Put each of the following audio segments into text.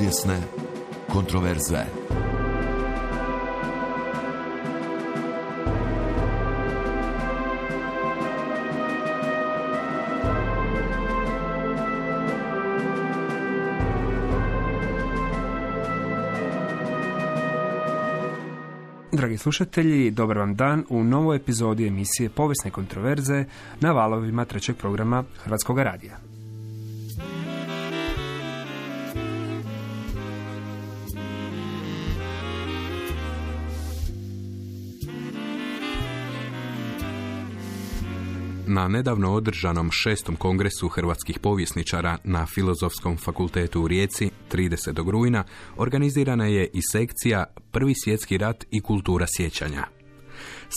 Povijesne kontroverze. Dragi slušatelji, dobar vam dan u novoj epizodi emisije Povijesne kontroverze na valovima trećeg programa Hrvatskog radija. Na nedavno održanom 6. kongresu hrvatskih povjesničara na Filozofskom fakultetu u Rijeci 30. rujna organizirana je i sekcija Prvi svjetski rat i kultura sjećanja.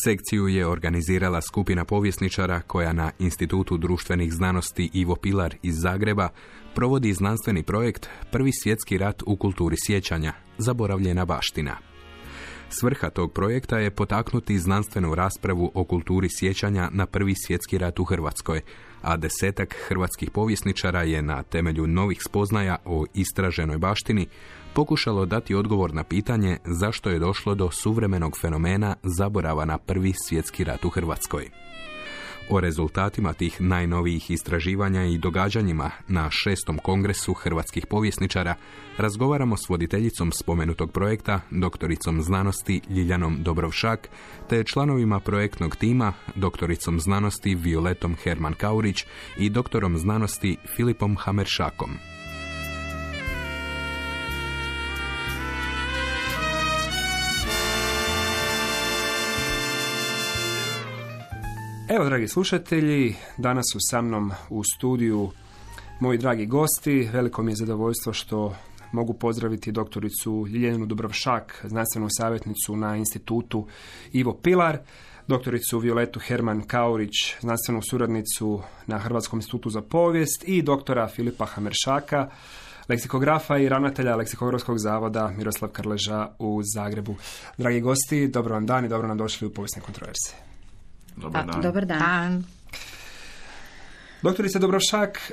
Sekciju je organizirala skupina povjesničara koja na Institutu društvenih znanosti Ivo Pilar iz Zagreba provodi znanstveni projekt Prvi svjetski rat u kulturi sjećanja, zaboravljena baština. Svrha tog projekta je potaknuti znanstvenu raspravu o kulturi sjećanja na Prvi svjetski rat u Hrvatskoj, a 10 hrvatskih povjesničara je na temelju novih spoznaja o istraženoj baštini pokušalo dati odgovor na pitanje zašto je došlo do suvremenog fenomena zaborava na Prvi svjetski rat u Hrvatskoj. O rezultatima tih najnovijih istraživanja i događanjima na 6. kongresu hrvatskih povjesničara razgovaramo s voditeljicom spomenutog projekta, doktoricom znanosti Ljiljanom Dobrovšak, te članovima projektnog tima, doktoricom znanosti Violetom Herman-Kaurić i doktorom znanosti Filipom Hameršakom. Evo, dragi slušatelji, danas su sa mnom u studiju moji dragi gosti. Veliko mi je zadovoljstvo što mogu pozdraviti doktoricu Ljiljanu Dobrovšak, znanstvenu savjetnicu na Institutu Ivo Pilar, doktoricu Violetu Herman-Kaurić, znanstvenu suradnicu na Hrvatskom institutu za povijest i doktora Filipa Hameršaka, leksikografa i ravnatelja Leksikografskog zavoda Miroslav Krleža u Zagrebu. Dragi gosti, dobro vam dan i dobro nam došli u Povijesne kontroverze. Dobar dan. Doktorice Dobrovšak,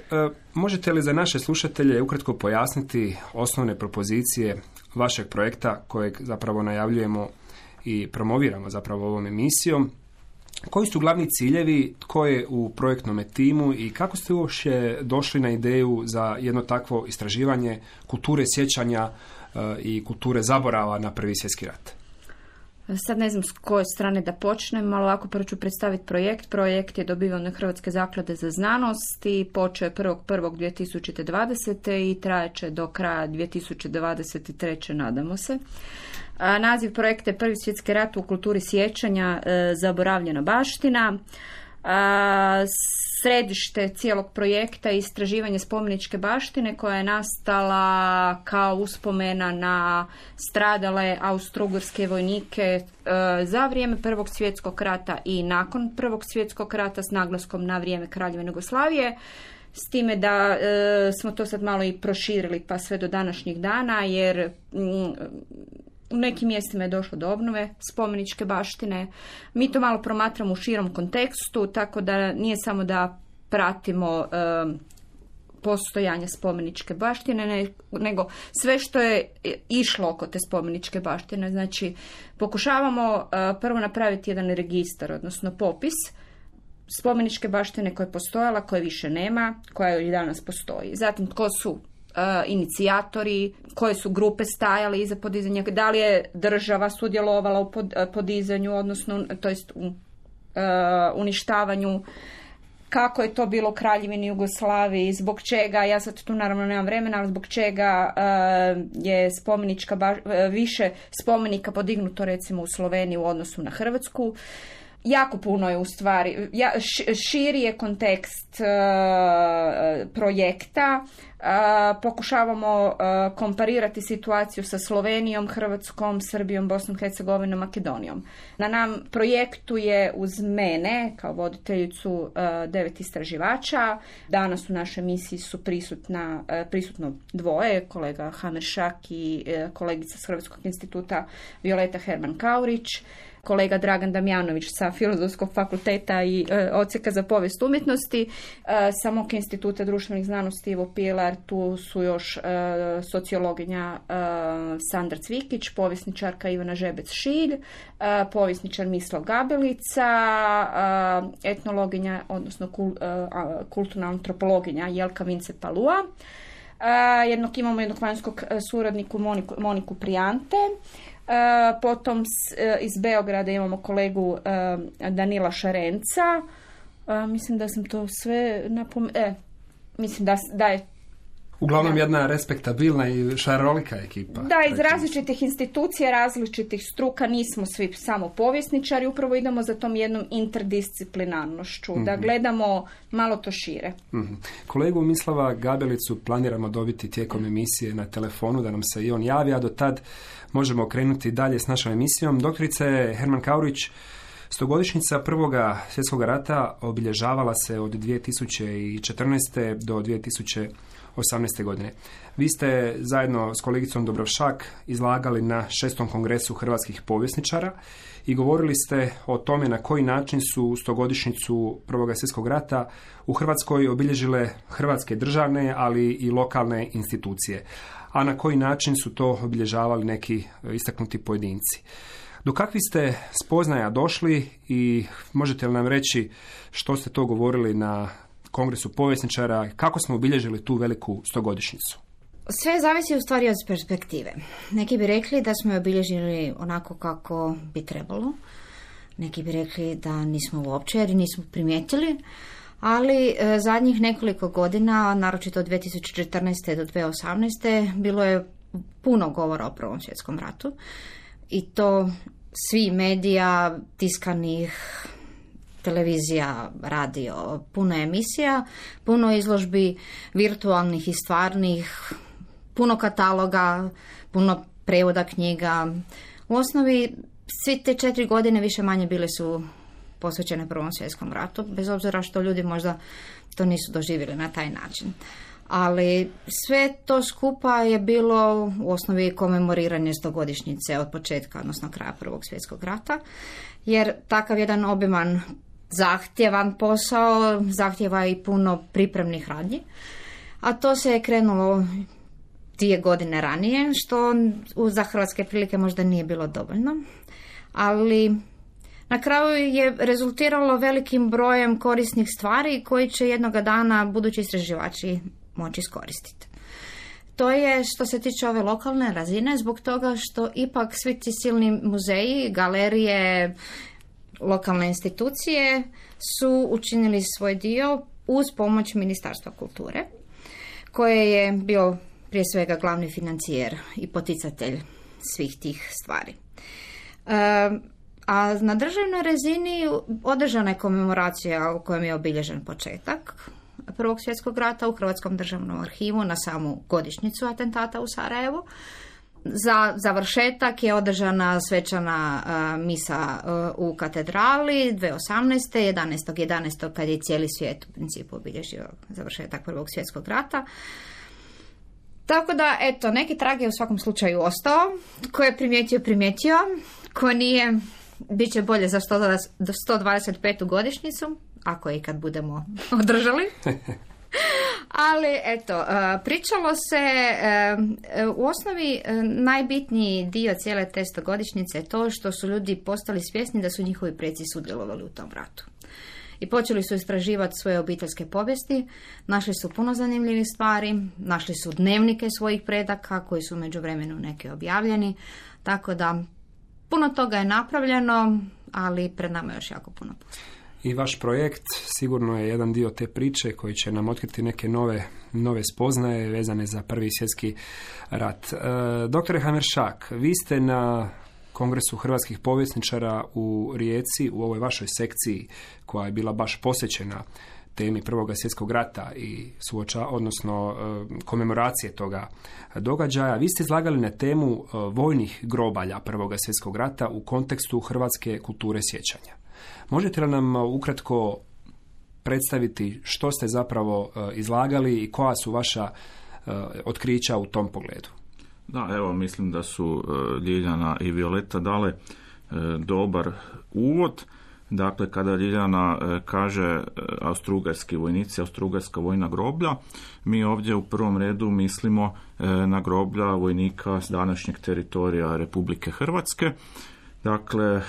možete li za naše slušatelje ukratko pojasniti osnovne propozicije vašeg projekta kojeg zapravo najavljujemo i promoviramo zapravo ovom emisijom? Koji su glavni ciljevi, tko je u projektnom timu i kako ste uopće došli na ideju za jedno takvo istraživanje kulture sjećanja i kulture zaborava na Prvi svjetski rat? Sad ne znam s koje strane da počnem, ali ovako prvo ću predstaviti projekt. Projekt je dobiven od Hrvatske zaklade za znanost i počeo je 1.1.2020. i trajeće do kraja 2023. nadamo se. Naziv projekta je Prvi svjetski rat u kulturi sjećanja, zaboravljena baština. Središte cijelog projekta je istraživanje spomeničke baštine koja je nastala kao uspomena na stradale austro-ugarske vojnike za vrijeme Prvog svjetskog rata i nakon Prvog svjetskog rata s naglaskom na vrijeme Kraljevine Jugoslavije. S time da smo to sad malo i proširili pa sve do današnjih dana jer u nekim mjestima je došlo do obnove spomeničke baštine. Mi to malo promatramo u širom kontekstu, tako da nije samo da pratimo postojanje spomeničke baštine, nego sve što je išlo oko te spomeničke baštine. Znači, pokušavamo prvo napraviti jedan registar, odnosno popis spomeničke baštine koja je postojala, koje više nema, koja i danas postoji. Zatim, tko su inicijatori, koje su grupe stajale iza podizanja, da li je država sudjelovala u podizanju, odnosno to jest u uništavanju, kako je to bilo u Kraljevini Jugoslaviji, zbog čega, ja sad tu naravno nemam vremena, ali zbog čega je više spomenika podignuto recimo u Sloveniji u odnosu na Hrvatsku. Jako puno je u stvari, širi je kontekst projekta. Pokušavamo komparirati situaciju sa Slovenijom, Hrvatskom, Srbijom, Bosnom, Hercegovinom, Makedonijom. Na nam projektu je uz mene kao voditeljicu 9 istraživača. Danas u našoj misiji su prisutno dvoje, kolega Hameršak i kolegica s Hrvatskog instituta Violeta Herman-Kaurić, kolega Dragan Damjanović sa Filozofskog fakulteta i odsjeka za povijest umjetnosti, sa mog instituta društvenih znanosti Ivo Pilar tu su još sociologinja Sandra Cvikić, povjesničarka Ivana Žebec-Šilj, povjesničar Mislav Gabelica, etnologinja, odnosno kulturna antropologinja Jelka Vince-Palua. Imamo jednog vanjskog suradniku Moniku Prijante. Potom iz Beograda imamo kolegu Danila Šarenca. Mislim da sam to sve mislim da je uglavnom jedna respektabilna i šarolika ekipa. Da, iz različitih institucija, različitih struka, nismo svi samo povjesničari, upravo idemo za tom jednom interdisciplinarnošću, da gledamo malo to šire. Kolegu Mislava Gabelicu planiramo dobiti tijekom emisije na telefonu, da nam se i on javi, a do tad možemo krenuti dalje s našom emisijom. Doktorice Herman Kaurić, 100-godišnjica Prvoga svjetskog rata obilježavala se od 2014. do 2018. godine. Vi ste zajedno s kolegicom Dubravšak izlagali na 6. kongresu hrvatskih povjesničara i govorili ste o tome na koji način su 100-godišnjicu Prvoga svjetskog rata u Hrvatskoj obilježile hrvatske državne, ali i lokalne institucije, a na koji način su to obilježavali neki istaknuti pojedinci. Do kakvih ste spoznaja došli i možete li nam reći što ste to govorili na Kongresu povjesničara, kako smo obilježili tu veliku 100-godišnjicu? Sve zavisi u stvari od perspektive. Neki bi rekli da smo je obilježili onako kako bi trebalo. Neki bi rekli da nismo uopće jer nismo primijetili. Ali zadnjih nekoliko godina, naročito od 2014. do 2018. bilo je puno govora o Prvom svjetskom ratu. I to svi medija, tiskanih, televizija, radio, puno emisija, puno izložbi virtualnih i stvarnih, puno kataloga, puno prevoda knjiga. U osnovi svi te 4 godine više manje bile su posvećene Prvom svjetskom ratu, bez obzira što ljudi možda to nisu doživjeli na taj način. Ali sve to skupa je bilo u osnovi komemoriranje 100-godišnjice od početka, odnosno kraja Prvog svjetskog rata, jer takav jedan obiman zahtjevan posao zahtjeva i puno pripremnih radnji, a to se je krenulo 2 godine ranije, što za hrvatske prilike možda nije bilo dovoljno, ali na kraju je rezultiralo velikim brojem korisnih stvari koji će jednoga dana budući istraživači moći iskoristiti. To je što se tiče ove lokalne razine, zbog toga što ipak svi ti silni muzeji, galerije, lokalne institucije su učinili svoj dio uz pomoć Ministarstva kulture, koje je bio prije svega glavni financijer i poticatelj svih tih stvari. A na državnoj razini održana je komemoracija u kojem je obilježen početak Prvog svjetskog rata u Hrvatskom državnom arhivu na samu godišnjicu atentata u Sarajevu. Za završetak je održana svečana misa u katedrali 2018. 11.11. kad je cijeli svijet u principu obilježio završetak Prvog svjetskog rata. Tako da, eto, neki trag je u svakom slučaju ostao. Ko je primijetio, ko nije, bit će bolje za 125. godišnjicu, ako je i kad budemo održali. Ali, eto, pričalo se, u osnovi najbitniji dio cijele te 100-godišnjice je to što su ljudi postali svjesni da su njihovi preci sudjelovali u tom ratu. I počeli su istraživati svoje obiteljske povijesti, našli su puno zanimljivih stvari, našli su dnevnike svojih predaka koji su u međuvremenu neke objavljeni, tako da puno toga je napravljeno, ali pred nama je još jako puno posla. I vaš projekt sigurno je jedan dio te priče koji će nam otkriti neke nove spoznaje vezane za Prvi svjetski rat. Doktore Hameršak, vi ste na Kongresu hrvatskih povjesničara u Rijeci, u ovoj vašoj sekciji koja je bila baš posvećena temi Prvoga svjetskog rata i komemoracije toga događaja. Vi ste izlagali na temu vojnih grobalja Prvoga svjetskog rata u kontekstu hrvatske kulture sjećanja. Možete li nam ukratko predstaviti što ste zapravo izlagali i koja su vaša otkrića u tom pogledu? Da, evo, mislim da su Ljiljana i Violeta dale dobar uvod. Dakle, kada Ljiljana kaže austrougarski vojnici, austrougarska vojna groblja, mi ovdje u prvom redu mislimo na groblja vojnika s današnjeg teritorija Republike Hrvatske. Dakle,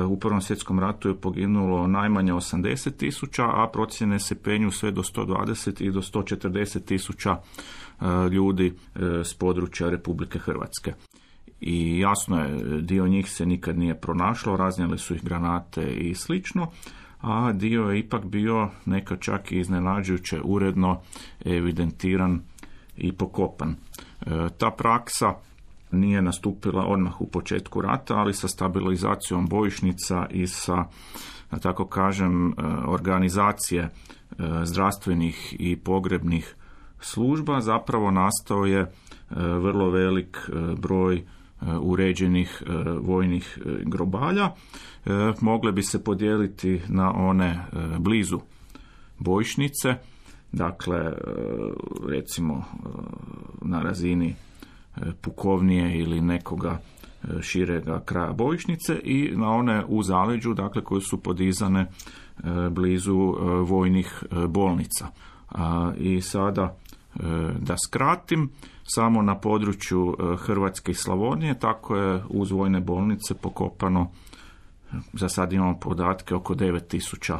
u Prvom svjetskom ratu je poginulo najmanje 80.000, a procjene se penju sve do 120 i do 140.000 ljudi s područja Republike Hrvatske. I jasno je, dio njih se nikad nije pronašlo, raznijele su ih granate i slično, a dio je ipak bio nekad čak i iznenađujuće uredno evidentiran i pokopan. Ta praksa nije nastupila odmah u početku rata, ali sa stabilizacijom bojišnica i sa, da tako kažem, organizacije zdravstvenih i pogrebnih služba zapravo nastao je vrlo velik broj uređenih vojnih grobalja. Mogle bi se podijeliti na one blizu bojišnice, dakle recimo na razini pukovnije ili nekoga širega kraja bojišnice, i na one u zaleđu, dakle koje su podizane blizu vojnih bolnica. I sada da skratim, samo na području Hrvatske i Slavonije tako je uz vojne bolnice pokopano, za sad imamo podatke, oko 9.000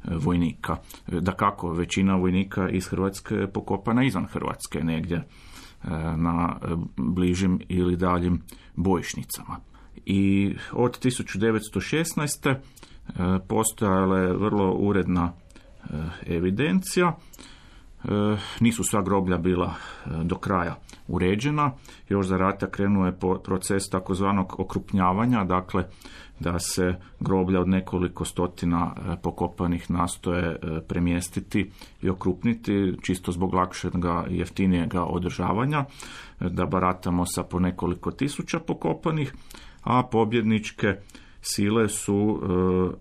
vojnika. Dakako, većina vojnika iz Hrvatske je pokopana izvan Hrvatske, negdje na bližim ili daljim bojišnicama. I od 1916. postojala je vrlo uredna evidencija. Nisu sva groblja bila do kraja uređena. Još za rata krenuo je proces takozvanog okrupnjavanja, dakle da se groblja od nekoliko stotina pokopanih nastoje premjestiti i okrupniti, čisto zbog lakšega i jeftinijega održavanja, da baratamo sa po nekoliko tisuća pokopanih, a pobjedničke sile su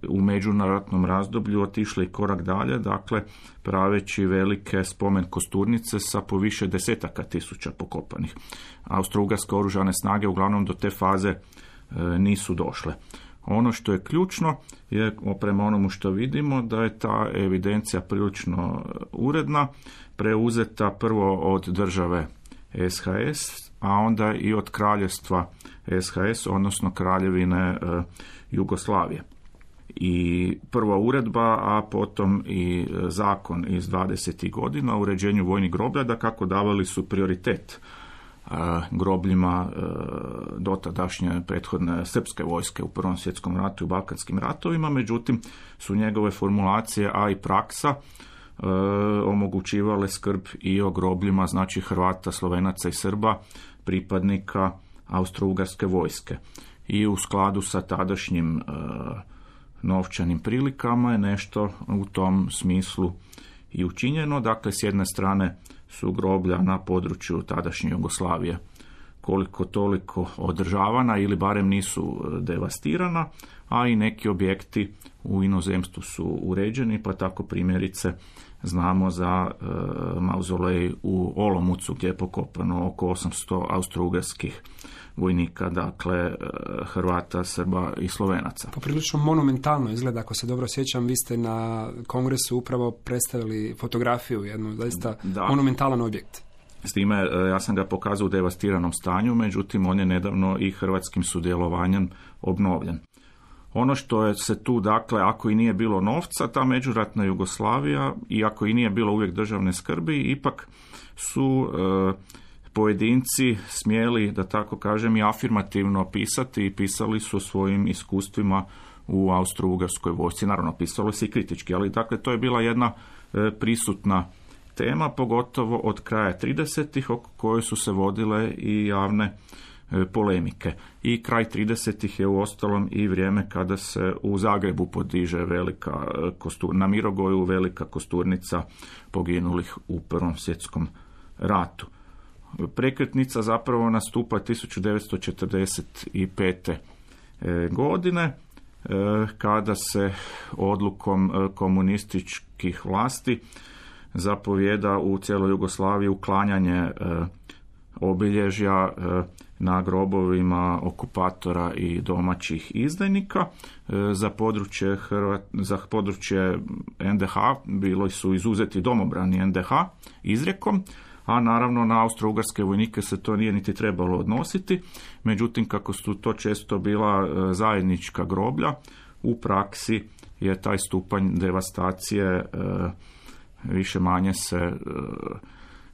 u međunarodnom razdoblju otišle i korak dalje, dakle praveći velike spomen kosturnice sa po više desetaka tisuća pokopanih. Austrougarske oružane snage uglavnom do te faze nisu došle. Ono što je ključno je, prema onomu što vidimo, da je ta evidencija prilično uredna, preuzeta prvo od države SHS, a onda i od kraljevstva SHS, odnosno kraljevine Jugoslavije. I prva uredba, a potom i zakon iz 20. godina o uređenju vojnih groblja, da kako davali su prioritet grobljima dotadašnje prethodne srpske vojske u Prvom svjetskom ratu i Balkanskim ratovima, međutim su njegove formulacije, a i praksa omogućivale skrb i o grobljima, znači Hrvata, Slovenaca i Srba, pripadnika austrougarske vojske. I u skladu sa tadašnjim novčanim prilikama je nešto u tom smislu i učinjeno. Dakle, s jedne strane su groblja na području tadašnje Jugoslavije koliko toliko održavana ili barem nisu devastirana, a i neki objekti u inozemstvu su uređeni, pa tako primjerice znamo za mauzolej u Olomoucu gdje je pokopano oko 800 austrougarskih vojnika, dakle Hrvata, Srba i Slovenaca. Poprilično monumentalno izgleda, ako se dobro sjećam, vi ste na kongresu upravo predstavili fotografiju, jednu zaista monumentalan objekt. S time, ja sam ga pokazao u devastiranom stanju, međutim on je nedavno i hrvatskim sudjelovanjem obnovljen. Ono što je se tu, dakle, ako i nije bilo novca, ta međuratna Jugoslavija, i ako i nije bilo uvijek državne skrbi, ipak su pojedinci smjeli, da tako kažem, i afirmativno pisati i pisali su svojim iskustvima u Austro-Ugarskoj vojsci. Naravno, pisalo se i kritički, ali dakle, to je bila jedna prisutna tema, pogotovo od kraja 30-ih, oko koje su se vodile i javne polemike. I kraj 30-ih je uostalom i vrijeme kada se u Zagrebu podiže velika na Mirogoju velika kosturnica poginulih u Prvom svjetskom ratu. Prekretnica zapravo nastupa 1945. godine, kada se odlukom komunističkih vlasti zapovjeda u cijeloj Jugoslaviji uklanjanje obilježja na grobovima okupatora i domaćih izdajnika. Za područje NDH bili su izuzeti domobrani NDH izrijekom, a naravno na austro-ugarske vojnike se to nije niti trebalo odnositi. Međutim, kako su to često bila zajednička groblja, u praksi je taj stupanj devastacije više manje se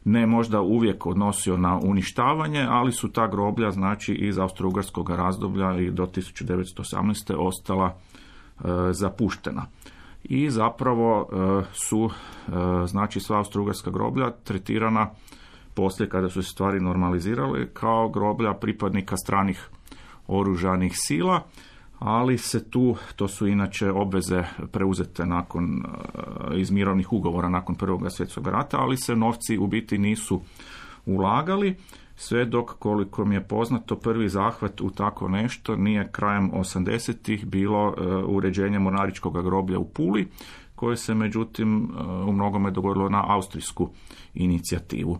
ne možda uvijek odnosio na uništavanje, ali su ta groblja, znači iz austro-ugarskog razdoblja i do 1918. ostala zapuštena. I zapravo su znači sva austro-ugarska groblja tretirana poslije, kada su se stvari normalizirale, kao groblja pripadnika stranih oružanih sila, ali se tu, to su inače obveze preuzete iz mirovnih ugovora nakon Prvog svjetskog rata, ali se novci u biti nisu ulagali, sve dok, koliko mi je poznato, prvi zahvat u tako nešto nije krajem 80-ih bilo uređenje mornaričkog groblja u Puli, koje se međutim u mnogome dogodilo na austrijsku inicijativu.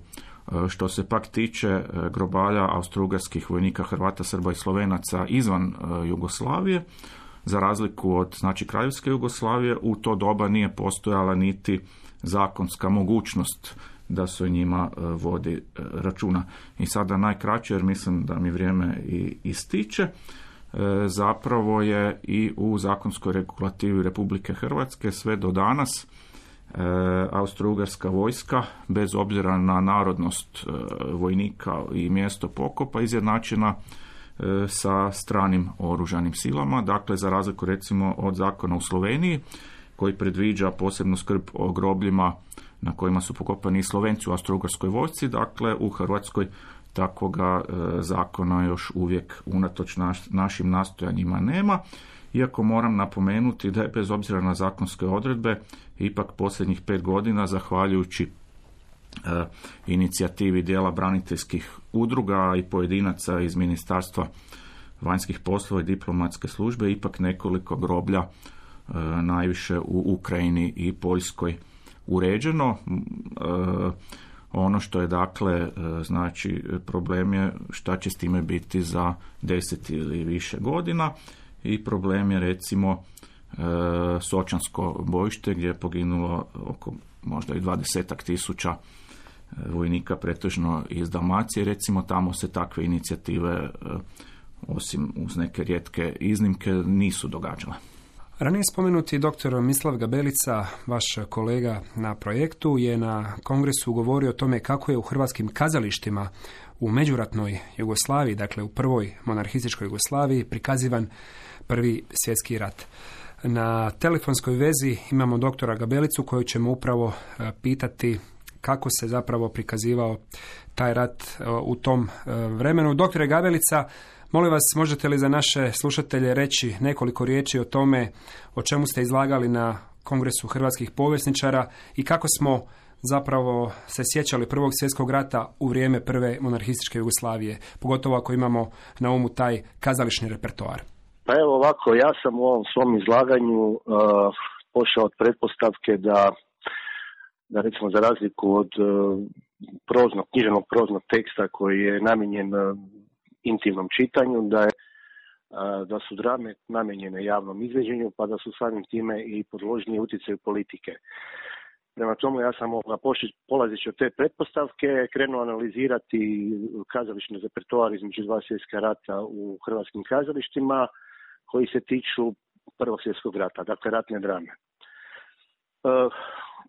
Što se pak tiče grobalja austro-ugarskih vojnika, Hrvata, Srba i Slovenaca izvan Jugoslavije, za razliku od znači Kraljevske Jugoslavije, u to doba nije postojala niti zakonska mogućnost da se o njima vodi računa. I sada najkraće, jer mislim da mi vrijeme i ističe, zapravo je i u zakonskoj regulativi Republike Hrvatske sve do danas austro-ugarska vojska, bez obzira na narodnost vojnika i mjesto pokopa, izjednačena sa stranim oružanim silama. Dakle, za razliku recimo od zakona u Sloveniji, koji predviđa posebnu skrb o grobljima na kojima su pokopani Slovenci u austro-ugarskoj vojsci, dakle u Hrvatskoj takvoga zakona još uvijek unatoč našim nastojanjima nema. Iako moram napomenuti da je bez obzira na zakonske odredbe ipak posljednjih 5 godina, zahvaljujući inicijativi dijela braniteljskih udruga i pojedinaca iz Ministarstva vanjskih poslova i diplomatske službe, ipak nekoliko groblja, najviše u Ukrajini i Poljskoj, uređeno. Ono što je dakle, znači problem je šta će s time biti za 10 ili više godina. I problem je recimo Sočansko bojište, gdje je poginulo oko možda i 20.000 vojnika, pretežno iz Dalmacije. Recimo tamo se takve inicijative, osim uz neke rijetke iznimke, nisu događale. Ranije spomenuti dr. Mislav Gabelica, vaš kolega na projektu, je na kongresu govorio o tome kako je u hrvatskim kazalištima u međuratnoj Jugoslaviji, dakle u prvoj monarhističkoj Jugoslaviji, prikazivan Prvi svjetski rat. Na telefonskoj vezi imamo doktora Gabelicu koju ćemo upravo pitati kako se zapravo prikazivao taj rat u tom vremenu. Doktore Gabelica, molim vas, možete li za naše slušatelje reći nekoliko riječi o tome o čemu ste izlagali na Kongresu hrvatskih povjesničara i kako smo zapravo se sjećali Prvog svjetskog rata u vrijeme prve monarhističke Jugoslavije, pogotovo ako imamo na umu taj kazališni repertoar? Pa evo ovako, ja sam u ovom svom izlaganju pošao od pretpostavke da recimo za razliku od književnog proznog teksta koji je namijenjen intimnom čitanju, da su drame namijenjene javnom izveđenju, pa da su samim time i podložnije utjecaju politike. Prema tomu ja sam polazeći od te pretpostavke krenuo analizirati kazališni repertoar između dva svjetska rata u hrvatskim kazalištima koji se tiču Prvog svjetskog rata, dakle ratne drame.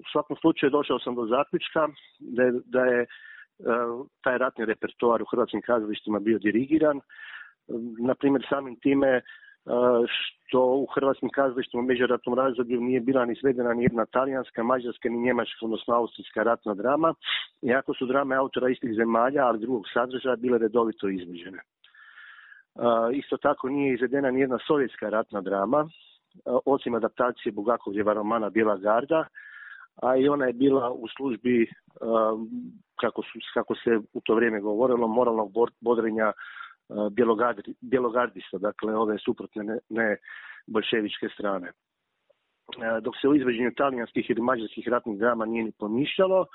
U svakom slučaju došao sam do zaključka da je taj ratni repertoar u hrvatskim kazalištima bio dirigiran, na primjer samim time što u hrvatskim kazalištima u međuratnom razdoblju nije bila ni svedena ni jedna talijanska, mađarska ni njemačka, odnosno austrijska ratna drama, iako su drame autora istih zemalja, ali drugog sadržaja, bile redovito izvođene. Isto tako nije izvedena ni jedna sovjetska ratna drama, osim adaptacije Bulgakovljeva romana Bijela garda, a i ona je bila u službi, kako se u to vrijeme govorilo, moralnog bodrenja bjelogardista, dakle ove suprotne ne boljševičke strane. Dok se u izvođenju talijanskih ili mađarskih ratnih drama nije ni pomišljalo,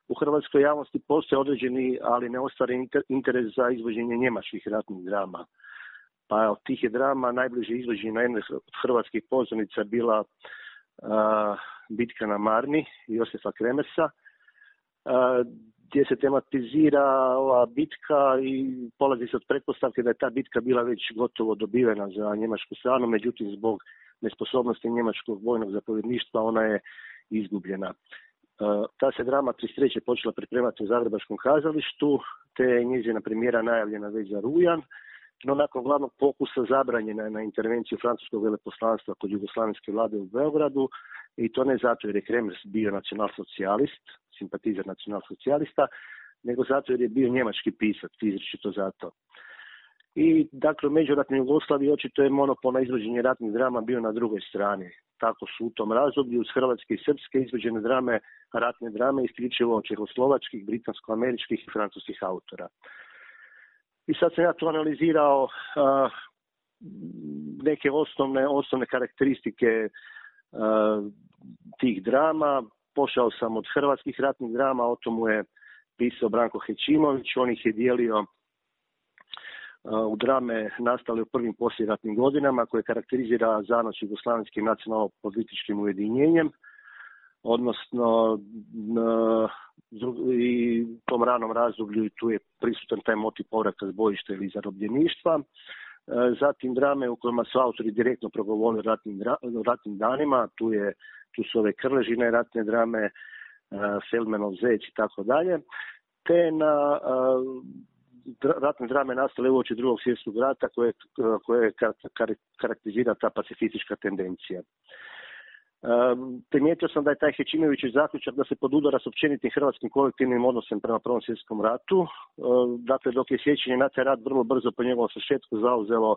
u hrvatskoj javnosti postoje određeni, ali neostvaren interes za izvođenje njemačkih ratnih drama. Pa od tih je drama najbliže izvođenje na jednoj od hrvatskih pozornica bila Bitka na Marni Josifa Kremersa, gdje se tematizira ova bitka i polazi se od pretpostavke da je ta bitka bila već gotovo dobivena za njemačku stranu, međutim zbog nesposobnosti njemačkog vojnog zapovjedništva ona je izgubljena. Ta se drama 1933. počela pripremati u Zagrebačkom kazalištu, te je njezina premijera najavljena već za rujan, no nakon glavnog pokusa zabranjena je na intervenciju francuskog veleposlanstva kod jugoslavenske vlade u Beogradu, i to ne zato jer je Kremers bio nacionalsocijalist, simpatizer nacionalsocijalista, nego zato jer je bio njemački pisac, izričito zato. I dakle u međuratnoj Jugoslaviji očito je monopol na izvođenje ratnih drama bio na drugoj strani. Tako su u tom razdoblju uz hrvatske i srpske izvođene drame, ratne drame isključivo čehoslovačkih, britansko-američkih i francuskih autora. I sad sam ja to analizirao neke osnovne karakteristike tih drama. Pošao sam od hrvatskih ratnih drama, o tomu je pisao Branko Hećimović, on ih je dijelio u drame nastale u prvim poslijeratnim godinama koje karakterizira zanoć jugoslavenskim nacionalno-političkim ujedinjenjem, odnosno i u tom ranom razdoblju i tu je prisutan taj motiv povratka s bojišta ili zarobljeništva. Zatim drame u kojima su autori direktno progovorili o ratnim danima, tu su ove Krležine ratne drame, Feldmanov Zec i tako dalje, te na ratne drame nastale uoči Drugog svjetskog rata koje karakterizira ta pacifistička tendencija. Primijetio sam da je taj Hećimovićev zaključak da se podudara s općenitim hrvatskim kolektivnim odnosom prema Prvom svjetskom ratu. Dakle, dok je sjećanje na taj rat vrlo brzo po njegovom svršetku zauzelo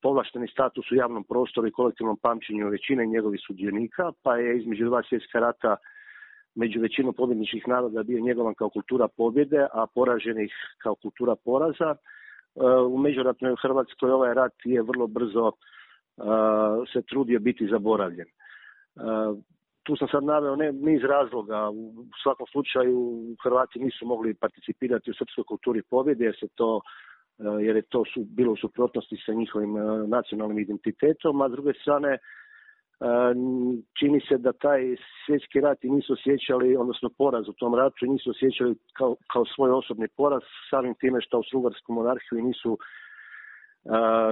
povlašteni status u javnom prostoru i kolektivnom pamćenju većine njegovih sudionika, pa je između dva svjetska rata među većinom pobjedničkih naroda bio njegovan kao kultura pobjede, a poraženih kao kultura poraza. U međuratnoj Hrvatskoj ovaj rat je vrlo brzo se trudio biti zaboravljen. Tu sam sad naveo niz razloga. U svakom slučaju Hrvati nisu mogli participirati u srpskoj kulturi pobjede jer je to bilo u suprotnosti sa njihovim nacionalnim identitetom, a s druge strane čini se da taj svjetski rat i nisu osjećali, odnosno poraz u tom ratu, nisu osjećali kao svoj osobni poraz, samim time što Austro-Ugarsku monarhiju nisu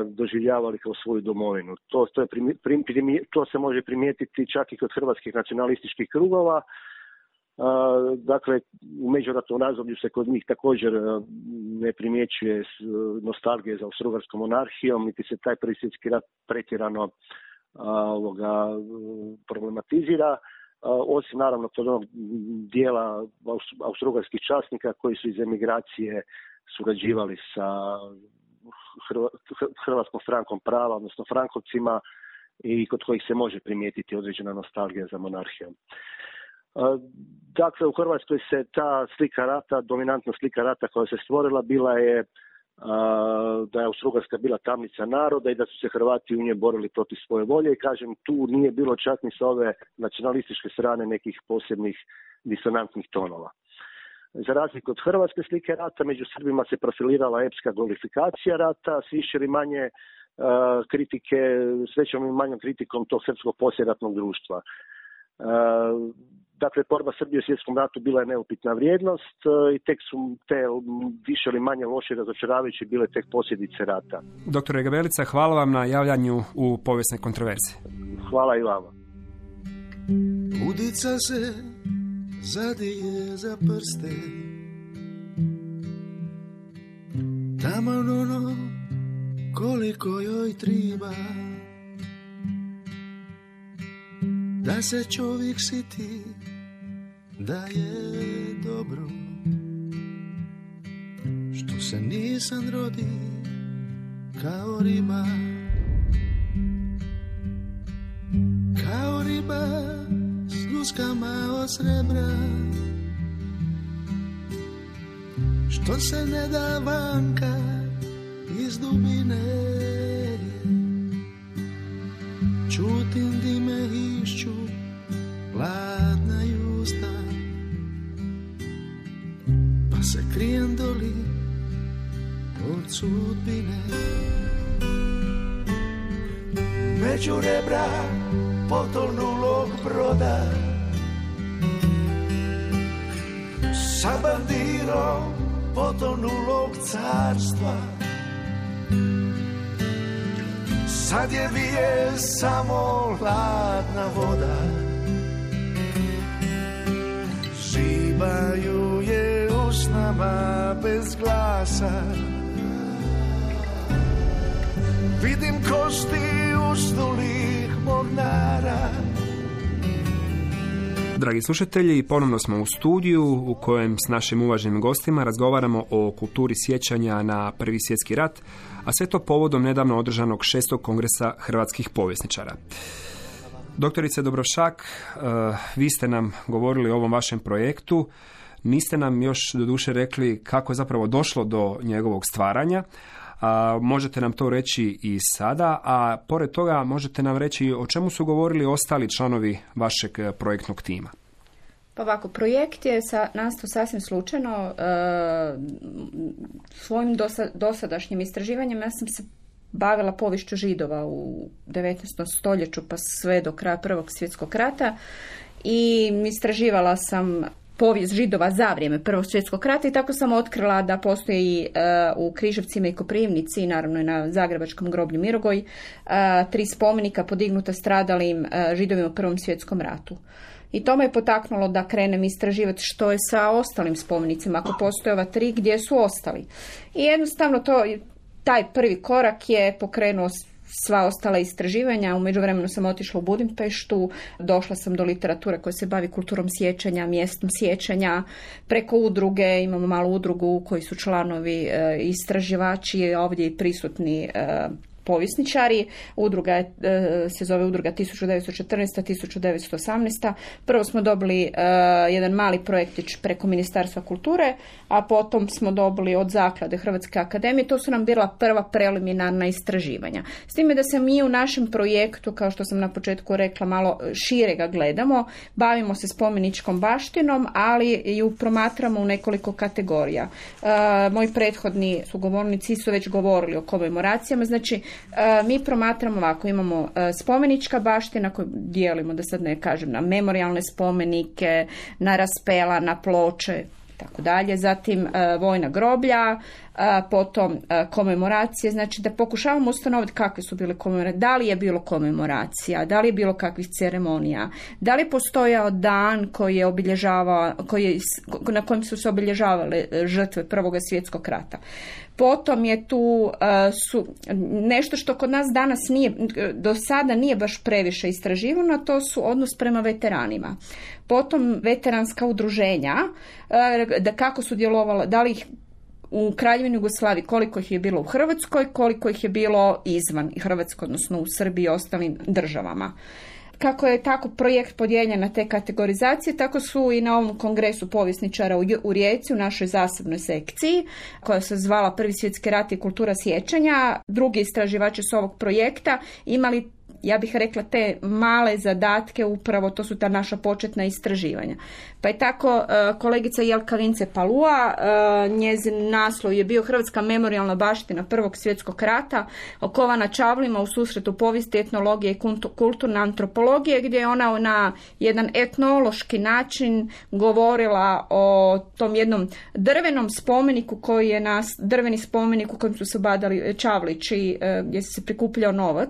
doživljavali kao svoju domovinu. To se može primijetiti čak i kod hrvatskih nacionalističkih krugova. Dakle, u međuratnom razdoblju se kod njih također ne primjećuje nostalgije za Austro-Ugarskom monarhijom, niti se taj prvi svjetski rat pretjerano problematizira, osim naravno kod onog dijela austro-ugarskih časnika koji su iz emigracije surađivali sa Hrvatskom strankom prava, odnosno Frankovcima, i kod kojih se može primijetiti određena nostalgija za monarhijom. Dakle, u Hrvatskoj se ta slika rata, dominantna slika rata koja se stvorila bila je da je Austro-Ugarska bila tamnica naroda i da su se Hrvati u njoj borili protiv svoje volje, i kažem, tu nije bilo čak ni sa ove nacionalističke strane nekih posebnih disonantnih tonova. Za razliku od hrvatske slike rata, među Srbima se profilirala epska glorifikacija rata s više ili manje kritike, s većom i manjom kritikom tog srpskog poslijeratnog društva. Dakle, borba Srbije u svjetskom ratu bila je neupitna vrijednost i tek su te više ili manje loše i razočaravajuće bile tek posljedice rata. Doktore Gabelica, hvala vam na javljanju u Povijesne kontroverze. Hvala i vama. Udica se zadije za prste, taman ono koliko joj triba, da se čovjek siti da je dobro, što se nisam rodi kao riba, kao riba s ljuskama od srebra, što se ne da vanka iz dubine. Čutim dime išću, hladna usta, sudbine. Među rebra potonulog broda, sa bandirom potonulog carstva. Sad je vije samo hladna voda, žibaju je usnama bez glasa. Vidim kosti usnulih mornara. Dragi slušatelji, ponovno smo u studiju u kojem s našim uvaženim gostima razgovaramo o kulturi sjećanja na Prvi svjetski rat, a sve to povodom nedavno održanog 6. kongresa hrvatskih povjesničara. Doktorice Dubravšak, vi ste nam govorili o ovom vašem projektu, niste nam još doduše rekli kako je zapravo došlo do njegovog stvaranja. Možete nam to reći i sada, a pored toga možete nam reći o čemu su govorili ostali članovi vašeg projektnog tima. Pa ovako, projekt je nastao sasvim slučajno. Svojim dosadašnjim istraživanjem ja sam se bavila poviješću Židova u 19. stoljeću pa sve do kraja Prvog svjetskog rata i istraživala sam povijest Židova za vrijeme Prvog svjetskog rata i tako sam otkrila da postoji u Križevcima i Koprivnici, naravno i na Zagrebačkom groblju Mirogoj, 3 spomenika podignuta stradalim Židovima u Prvom svjetskom ratu. I to me je potaknulo da krenem istraživati što je sa ostalim spomenicima, ako postoje ova 3, gdje su ostali. I jednostavno taj prvi korak je pokrenuo sva ostala istraživanja. U međuvremenu sam otišla u Budimpeštu, došla sam do literature koja se bavi kulturom sjećanja, mjestom sjećanja, preko udruge, imamo malu udrugu koji su članovi istraživači, ovdje i prisutni povjesničari. Udruga se zove Udruga 1914-1918. Prvo smo dobili jedan mali projektić preko Ministarstva kulture, a potom smo dobili od Zaklade Hrvatske akademije. To su nam bila prva preliminarna istraživanja. S time da se mi u našem projektu, kao što sam na početku rekla, malo šire ga gledamo, bavimo se spomeničkom baštinom, ali ju promatramo u nekoliko kategorija. Moji prethodni sugovornici su već govorili o komemoracijama, znači mi promatramo ovako, imamo spomenička baština koju dijelimo, da sad ne kažem, na memorijalne spomenike, na raspela, na ploče, tako dalje, zatim vojna groblja, potom komemoracije, znači da pokušavamo ustanoviti kakve su bile komemoracije, da li je bilo komemoracija, da li je bilo kakvih ceremonija, da li je postojao dan koji je obilježavao, na kojem su se obilježavale žrtve Prvog svjetskog rata. Potom je tu nešto što kod nas danas do sada nije baš previše istraživano, to su odnos prema veteranima. Potom veteranska udruženja, da kako su djelovala, da li ih u Kraljevini Jugoslaviji, koliko ih je bilo u Hrvatskoj, koliko ih je bilo izvan Hrvatske, odnosno u Srbiji i ostalim državama. Kako je tako projekt podijeljen na te kategorizacije, tako su i na ovom kongresu povjesničara u Rijeci, u našoj zasebnoj sekciji, koja se zvala Prvi svjetski rat i kultura sjećanja. Drugi istraživači s ovog projekta imali, ja bih rekla, te male zadatke, upravo to su ta naša početna istraživanja. Pa je tako kolegica Jelka Vince Palua, njezin naslov je bio Hrvatska memorijalna baština Prvog svjetskog rata, okovana čavlima u susretu povijesti, etnologije i kulturne antropologije, gdje je ona na jedan etnološki način govorila o tom jednom drvenom spomeniku koji je drveni spomenik u kojem su se badali čavlići, gdje se prikupljao novac,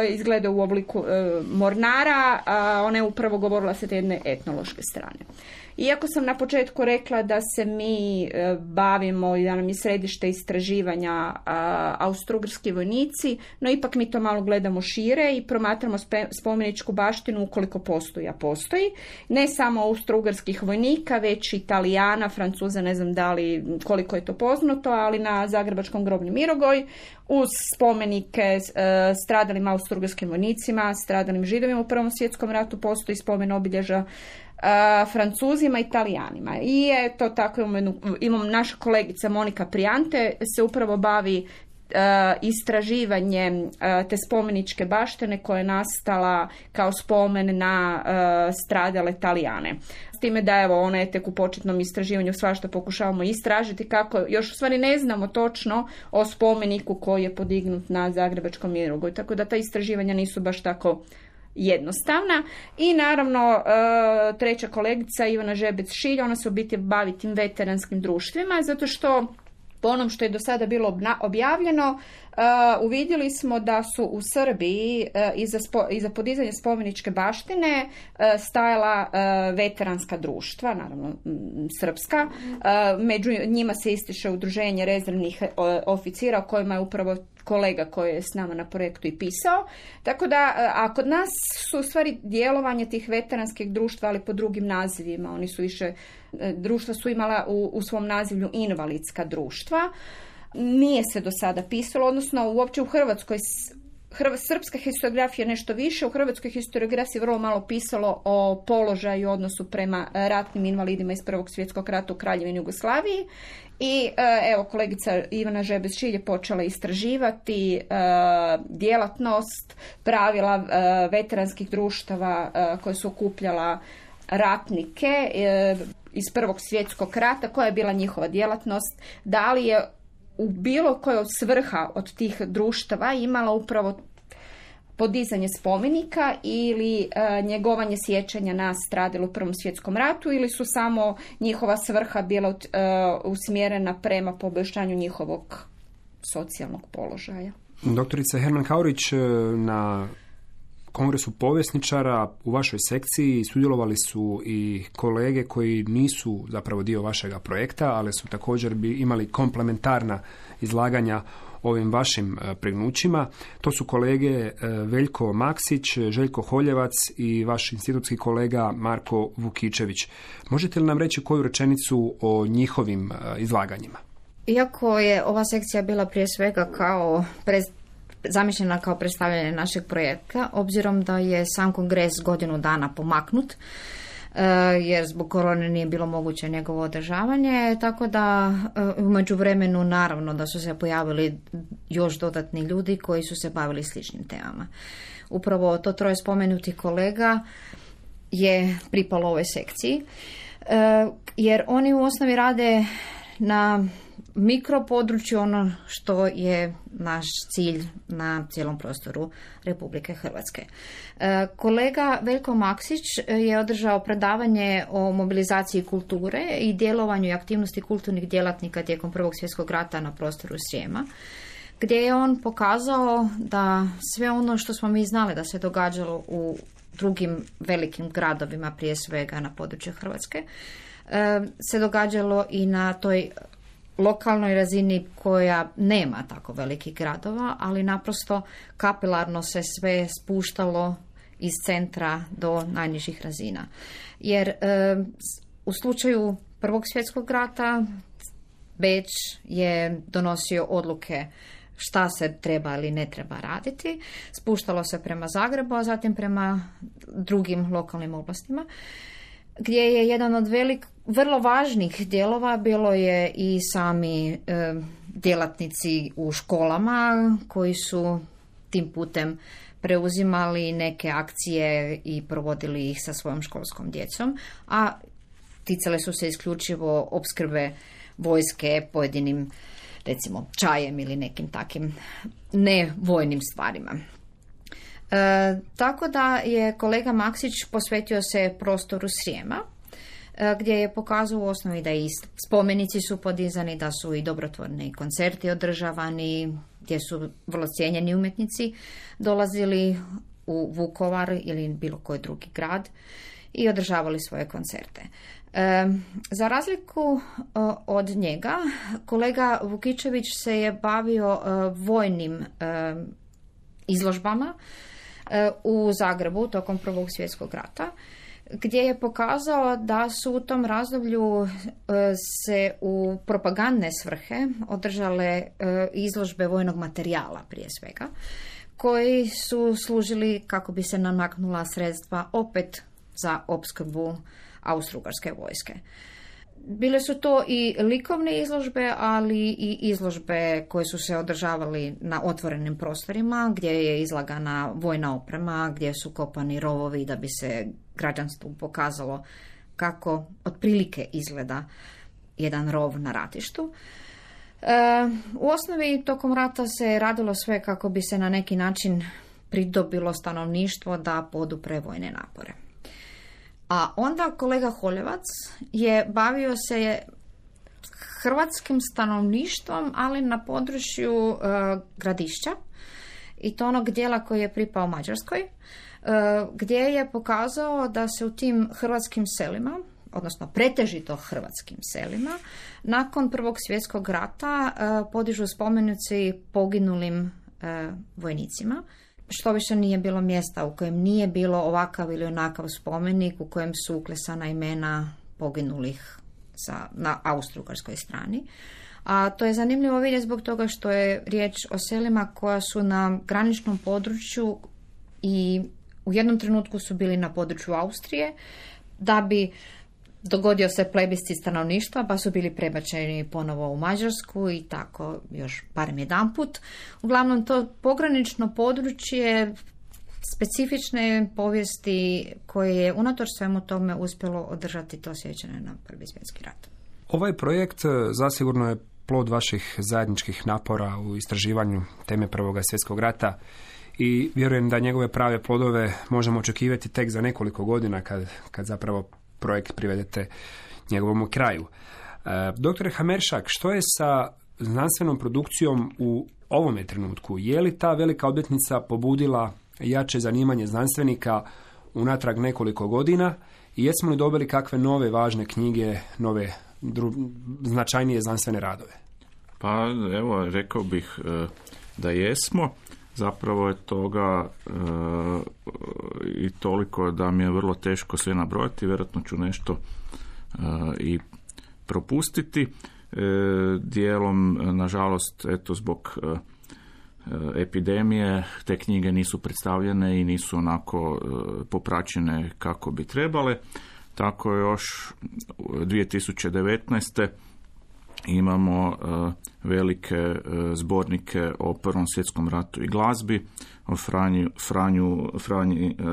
izgleda u obliku mornara, a ona je upravo govorila sa te jedne etnološke strane. Iako sam na početku rekla da se mi bavimo i da nam je središte istraživanja austrougarski vojnici, no ipak mi to malo gledamo šire i promatramo spomeničku baštinu ukoliko postoji, a postoji. Ne samo austrougarskih vojnika, već Italijana, Francuza, ne znam da li koliko je to poznato, ali na Zagrebačkom groblju Mirogoj, uz spomenike stradalim austrougarskim vojnicima, stradalim Židovima u Prvom svjetskom ratu, postoji spomen obilježja Francuzima i Italijanima. I je to tako, imam naša kolegica Monika Prijante se upravo bavi istraživanje te spomeničke baštine koja je nastala kao spomen na stradale Talijane. S time da evo ona je tek u početnom istraživanju, svašta pokušavamo istražiti kako još u stvari ne znamo točno o spomeniku koji je podignut na Zagrebačkom Mirogoju. Tako da ta istraživanja nisu baš tako jednostavna. I naravno treća kolegica Ivana Žebec-Šilj, ona se u biti bavi tim veteranskim društvima, zato što po onom što je do sada bilo objavljeno, uvidjeli smo da su u Srbiji iza podizanja spomeničke baštine stajala veteranska društva, naravno srpska. Među njima se ističe udruženje rezervnih oficira o kojima je upravo kolega koji je s nama na projektu i pisao. Tako da, a kod nas su u stvari djelovanje tih veteranskih društva, ali po drugim nazivima. Oni su više, društva su imala u svom nazivlju invalidska društva. Nije se do sada pisalo, odnosno uopće u Hrvatskoj, srpska historiografija nešto više, u hrvatskoj historiografiji vrlo malo pisalo o položaju i odnosu prema ratnim invalidima iz Prvog svjetskog rata u Kraljevini Jugoslaviji. I evo, kolegica Ivana Žebec-Šilj je počela istraživati djelatnost, pravila veteranskih društava koje su okupljala ratnike iz Prvog svjetskog rata, koja je bila njihova djelatnost, da li je u bilo kojoj svrha od tih društava imala upravo podizanje spomenika ili njegovanje sjećanja na stradale u Prvom svjetskom ratu, ili su samo njihova svrha bila usmjerena prema poboljšanju njihovog socijalnog položaja. Doktorica Herman Kaurić, na Kongresu povjesničara u vašoj sekciji sudjelovali su i kolege koji nisu zapravo dio vašega projekta, ali su također imali komplementarna izlaganja ovim vašim pregnućima. To su kolege Veljko Maksić, Željko Holjevac i vaš institutski kolega Marko Vukičević. Možete li nam reći koju rečenicu o njihovim izlaganjima? Iako je ova sekcija bila prije svega kao zamišljena kao predstavljanje našeg projekta, obzirom da je sam kongres godinu dana pomaknut, jer zbog korone nije bilo moguće njegovo održavanje, tako da u međuvremenu naravno da su se pojavili još dodatni ljudi koji su se bavili sličnim temama. Upravo to troje spomenutih kolega je pripalo ovoj sekciji, jer oni u osnovi rade na mikropodručju, ono što je naš cilj na cijelom prostoru Republike Hrvatske. Kolega Veljko Maksić je održao predavanje o mobilizaciji kulture i djelovanju i aktivnosti kulturnih djelatnika tijekom Prvog svjetskog rata na prostoru Srijema, gdje je on pokazao da sve ono što smo mi znali da se događalo u drugim velikim gradovima, prije svega na području Hrvatske, se događalo i na toj lokalnoj razini koja nema tako velikih gradova, ali naprosto kapilarno se sve spuštalo iz centra do najnižih razina. Jer u slučaju Prvog svjetskog rata Beč je donosio odluke šta se treba ili ne treba raditi, spuštalo se prema Zagrebu, a zatim prema drugim lokalnim oblastima, gdje je jedan od vrlo važnih dijelova bilo je i sami djelatnici u školama koji su tim putem preuzimali neke akcije i provodili ih sa svojom školskom djecom, a ticale su se isključivo opskrbe vojske pojedinim, recimo, čajem ili nekim takim nevojnim stvarima. Tako da je kolega Maksić posvetio se prostoru Srijema, gdje je pokazao u osnovi da i spomenici su podizani, da su i dobrotvorni koncerti održavani, gdje su vrlo cijenjeni umjetnici dolazili u Vukovar ili bilo koji drugi grad i održavali svoje koncerte. Za razliku od njega, kolega Vukičević se je bavio vojnim izložbama u Zagrebu tokom Prvog svjetskog rata, gdje je pokazao da su u tom razdoblju se u propagandne svrhe održale izložbe vojnog materijala prije svega, koji su služili kako bi se namaknula sredstva opet za opskrbu Austro-Ugarske vojske. Bile su to i likovne izložbe, ali i izložbe koje su se održavali na otvorenim prostorima, gdje je izlagana vojna oprema, gdje su kopani rovovi da bi se građanstvu pokazalo kako otprilike izgleda jedan rov na ratištu. U osnovi tokom rata se radilo sve kako bi se na neki način pridobilo stanovništvo da podupre vojne napore. A onda kolega Holjevac je bavio se hrvatskim stanovništvom, ali na području Gradišća, i to onog dijela koji je pripao Mađarskoj, gdje je pokazao da se u tim hrvatskim selima, odnosno pretežito hrvatskim selima, nakon Prvog svjetskog rata podižu spomenici poginulim vojnicima, što više nije bilo mjesta u kojem nije bilo ovakav ili onakav spomenik u kojem su uklesana imena poginulih na austrougarskoj strani. A to je zanimljivo vidjeti zbog toga što je riječ o selima koja su na graničnom području i u jednom trenutku su bili na području Austrije, da bi dogodio se plebiscit stanovništva, pa su bili prebačeni ponovo u Mađarsku i tako još barem jedanput. Uglavnom to pogranično područje specifične povijesti koje je unatoč svemu tome uspjelo održati to sjećanje na Prvi svjetski rat. Ovaj projekt zasigurno je plod vaših zajedničkih napora u istraživanju teme Prvog svjetskog rata i vjerujem da njegove prave plodove možemo očekivati tek za nekoliko godina kad zapravo projekt privedete njegovom kraju. Doktore Hameršak, što je sa znanstvenom produkcijom u ovome trenutku? Je li ta velika obljetnica pobudila jače zanimanje znanstvenika unatrag nekoliko godina i jesmo li dobili kakve nove važne knjige, nove značajnije znanstvene radove? Pa evo, rekao bih da jesmo. Zapravo je toga i toliko da mi je vrlo teško sve nabrojati, vjerojatno ću nešto i propustiti. Dijelom, nažalost, eto, zbog epidemije te knjige nisu predstavljene i nisu onako popraćene kako bi trebale. Tako još 2019. imamo velike zbornike o Prvom svjetskom ratu i glazbi, o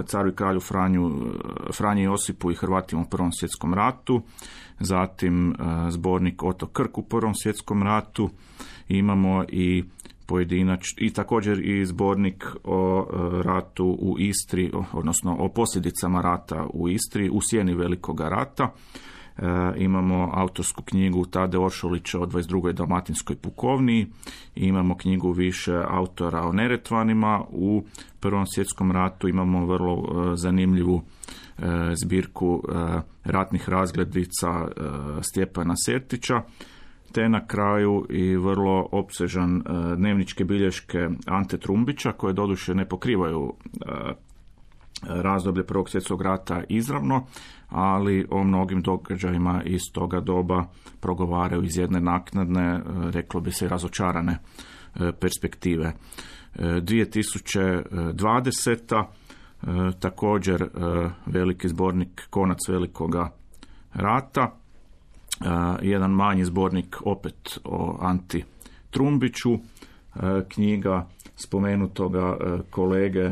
caru i kralju Franji Josipu i Hrvatima u Prvom svjetskom ratu, zatim zbornik Oto Krk u Prvom svjetskom ratu, imamo i i također i zbornik o ratu u Istri, odnosno o posljedicama rata u Istri u sjeni Velikoga rata. Imamo autorsku knjigu Tade Oršolića o 22. dalmatinskoj pukovniji, imamo knjigu više autora o Neretvanima u Prvom svjetskom ratu, imamo vrlo zanimljivu zbirku ratnih razglednica Stjepana Sertića, te na kraju i vrlo opsežan dnevničke bilješke Ante Trumbića, koje doduše ne pokrivaju razdoblje Prvog svjetskog rata izravno, ali o mnogim događajima iz toga doba progovaraju iz jedne naknadne, reklo bi se, razočarane perspektive. 2020. Također veliki zbornik Konac Velikoga rata, jedan manji zbornik opet o Anti Trumbiću, knjiga spomenutoga kolege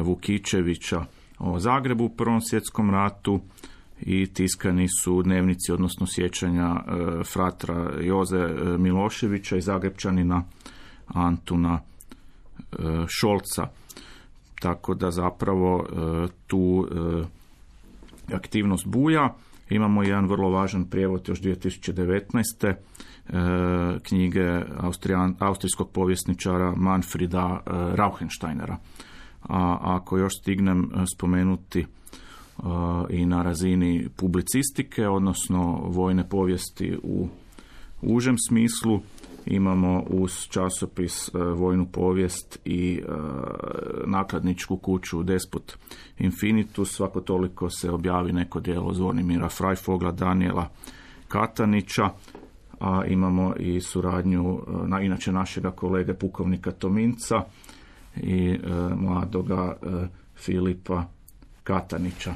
Vukičevića o Zagrebu u Prvom svjetskom ratu i tiskani su dnevnici, odnosno sjećanja fratra Joze Miloševića i Zagrepčanina Antuna Šolca. Tako da zapravo tu aktivnost buja. Imamo jedan vrlo važan prijevod još 2019. Knjige austrijskog povjesničara Manfrida Rauhensteinera. A ako još stignem spomenuti i na razini publicistike, odnosno vojne povijesti u užem smislu, imamo uz časopis Vojnu povijest i nakladničku kuću Despot Infinitus. Svako toliko se objavi neko djelo Zvonimira Freifogla, Daniela Katanića, a imamo i suradnju inače našega kolege pukovnika Tominca i mladoga Filipa Katanića.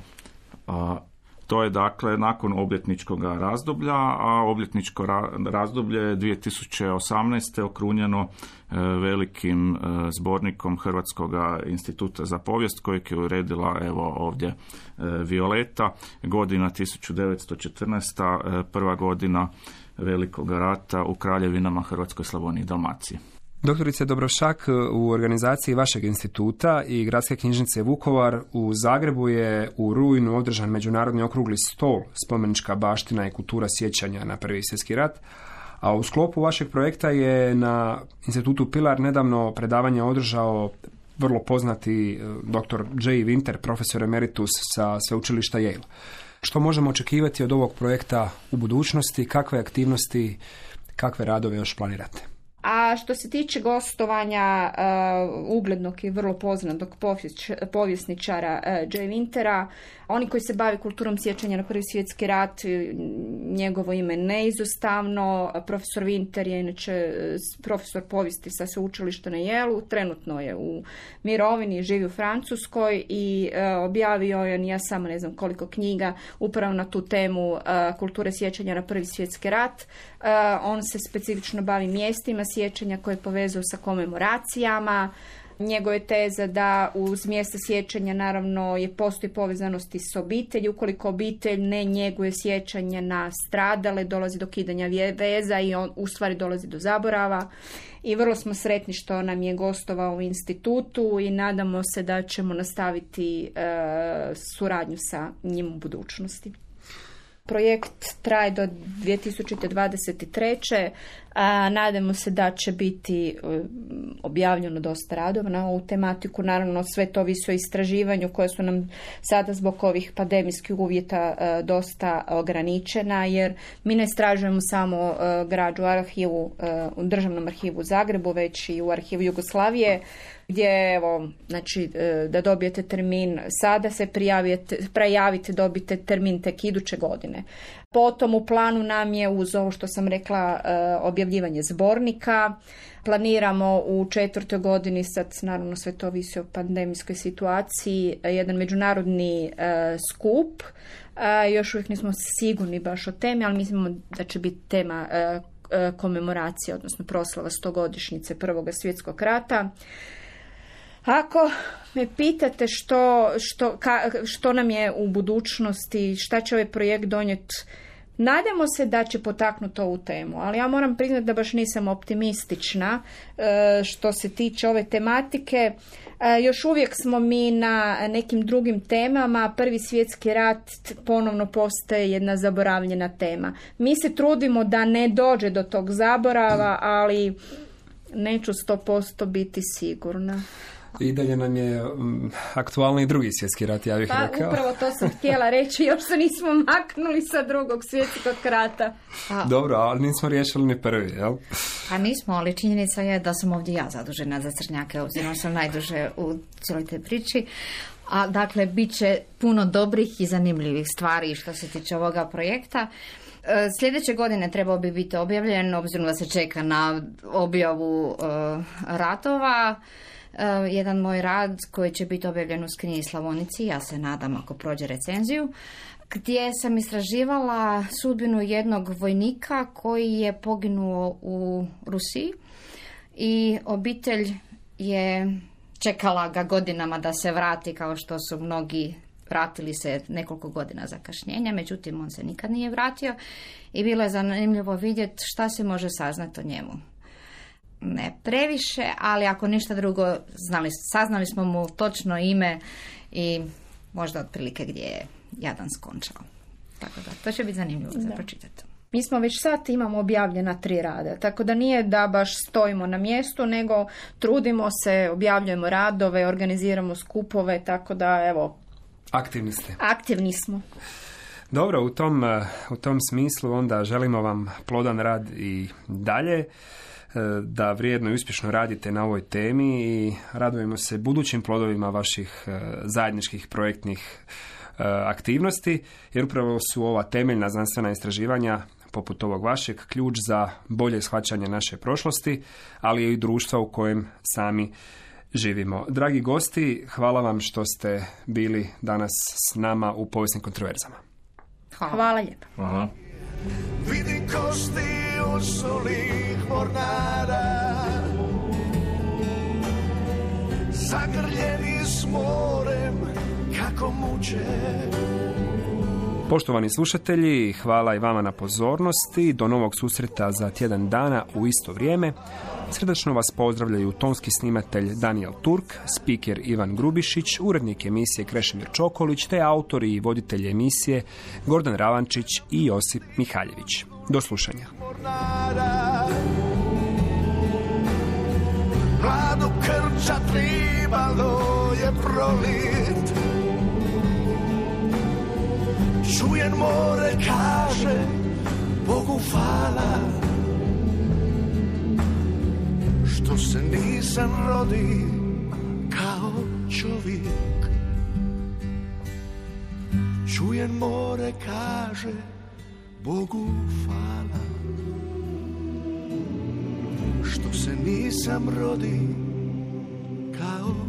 A To je dakle nakon obljetničkog razdoblja, a obljetničko razdoblje je 2018. okrunjeno velikim zbornikom Hrvatskog instituta za povijest kojeg je uredila evo ovdje Violeta, godina 1914. Prva godina Velikog rata u kraljevinama Hrvatskoj, Slavoniji i Dalmaciji. Doktorice Dobrošak, u organizaciji vašeg instituta i Gradske knjižnice Vukovar u Zagrebu je u rujnu održan međunarodni okrugli stol Spomenička baština i kultura sjećanja na Prvi svjetski rat, a u sklopu vašeg projekta je na institutu Pilar nedavno predavanje održao vrlo poznati dr. Jay Winter, profesor emeritus sa sveučilišta Yale. Što možemo očekivati od ovog projekta u budućnosti, kakve aktivnosti, kakve radove još planirate? A što se tiče gostovanja uglednog i vrlo poznatog povjesničara Jay Wintera, oni koji se bave kulturom sjećanja na Prvi svjetski rat, njegovo ime neizostavno. Profesor Winter je inače profesor povijesti sa sveučilišta na Yale-u, trenutno je u mirovini, živi u Francuskoj i objavio je, ja samo ne znam koliko knjiga, upravo na tu temu kulture sjećanja na Prvi svjetski rat. On se specifično bavi mjestima sjećanja koje je povezao sa komemoracijama. Njegova je teza da uz mjesta sjećanja naravno postoji povezanosti s obitelji. Ukoliko obitelj ne njeguje sjećanja na stradale, dolazi do kidanja veza i on u stvari dolazi do zaborava. I vrlo smo sretni što nam je gostovao u institutu i nadamo se da ćemo nastaviti suradnju sa njim u budućnosti. Projekt traje do 2023. Nadamo se da će biti objavljeno dosta radova na ovu tematiku. Naravno, sve to ovisi o istraživanju koje su nam sada zbog ovih pandemijskih uvjeta dosta ograničena, jer mi ne istražujemo samo građu u Državnom arhivu u Zagrebu, već i u arhivu Jugoslavije, gdje evo, znači, da dobijete termin sada se prijavite, dobijete termin tek iduće godine. Potom u planu nam je uz ovo što sam rekla objavljivanje zbornika. Planiramo u 4. godini, sad naravno sve to ovisi o pandemijskoj situaciji, jedan međunarodni skup. Još uvijek nismo sigurni baš o temi, ali mislimo da će biti tema komemoracija, odnosno proslava 100-godišnjice Prvog svjetskog rata. Ako me pitate što nam je u budućnosti, šta će ovaj projekt donijeti, nadamo se da će potaknuti ovu temu, ali ja moram priznati da baš nisam optimistična što se tiče ove tematike. Još uvijek smo mi na nekim drugim temama. Prvi svjetski rat ponovno postaje jedna zaboravljena tema. Mi se trudimo da ne dođe do tog zaborava, ali neću 100% biti sigurna. I dalje nam je aktualni i Drugi svjetski rat, ja bih rekao. Upravo to sam htjela reći, još se nismo maknuli sa Drugog svjetskog rata. Dobro, ali nismo riješili ni prvi, jel? A nismo, ali činjenica je da sam ovdje ja zadužena za crnjake, obzirom sam najduže u cijeloj toj priči. A dakle, bit će puno dobrih i zanimljivih stvari što se tiče ovoga projekta. Sljedeće godine trebao bi biti objavljen, obzirom da se čeka na objavu ratova. Jedan moj rad koji će biti objavljen u Skrinji Slavonici, ja se nadam ako prođe recenziju, gdje sam istraživala sudbinu jednog vojnika koji je poginuo u Rusiji i obitelj je čekala ga godinama da se vrati, kao što su mnogi vratili se nekoliko godina zakašnjenja, međutim on se nikad nije vratio i bilo je zanimljivo vidjeti šta se može saznati o njemu. Ne previše, ali ako ništa drugo, saznali smo mu točno ime i možda otprilike gdje je jadan skončao. Tako da, to će biti zanimljivo za pročitati. Mi smo već sad imamo objavljena 3 rada, tako da nije da baš stojimo na mjestu, nego trudimo se, objavljujemo radove, organiziramo skupove, tako da evo... Aktivni ste. Aktivni smo. Dobro, u tom smislu onda želimo vam plodan rad i dalje, da vrijedno i uspješno radite na ovoj temi i radujemo se budućim plodovima vaših zajedničkih projektnih aktivnosti, jer upravo su ova temeljna znanstvena istraživanja poput ovog vašeg ključ za bolje shvaćanje naše prošlosti, ali i društva u kojem sami živimo. Dragi gosti, hvala vam što ste bili danas s nama u Povijesnim kontroverzama. Hvala lijepa. Hvala. Vidim kosti usulih mornara, zagrljeni s morem kako muče. Poštovani slušatelji, hvala i vama na pozornosti. Do novog susreta za tjedan dana u isto vrijeme. Srdačno vas pozdravljaju tonski snimatelj Daniel Turk, spiker Ivan Grubišić, urednik emisije Krešimir Čokolić, te autori i voditelji emisije Gordan Ravančić i Josip Mihaljević. Do slušanja. Mladu krča tribalo je prolit, čujem more kaže Bogu hvala, što se nisam rodi kao čovjek. Čujem more kaže Bogu hvala, što se nisam rodi kao